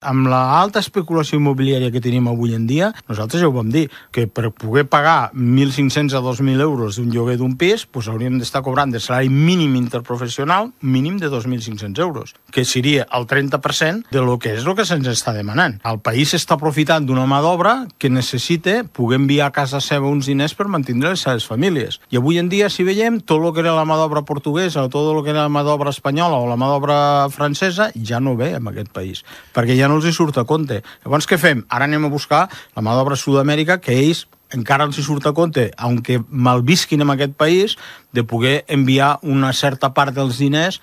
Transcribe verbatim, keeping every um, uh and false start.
Amb l'alta especulació immobiliària que tenim avui en dia, nosaltres ja ho vam dir, que per poder pagar mil cinc-cents a dos mil euros d'un lloguer d'un pis, doncs hauríem d'estar cobrant de salari mínim interprofessional mínim de dos mil cinc-cents euros, que seria el trenta per cent de lo que és el que se'ns està demanant. El país està aprofitant d'una mà d'obra que necessita poder enviar a casa seva uns diners per mantenir les seves famílies. I avui en dia, si veiem, tot el que era la mà d'obra portuguesa o tot el que era la mà d'obra espanyola o la mà d'obra francesa ja no ve en aquest país, perquè ja no els hi surt a compte. Llavors, què fem? Ara anem a buscar la mà d'obra Sud-amèrica, que ells encara els hi surt a compte, aunque malvisquin en aquest país, de poder enviar una certa part dels diners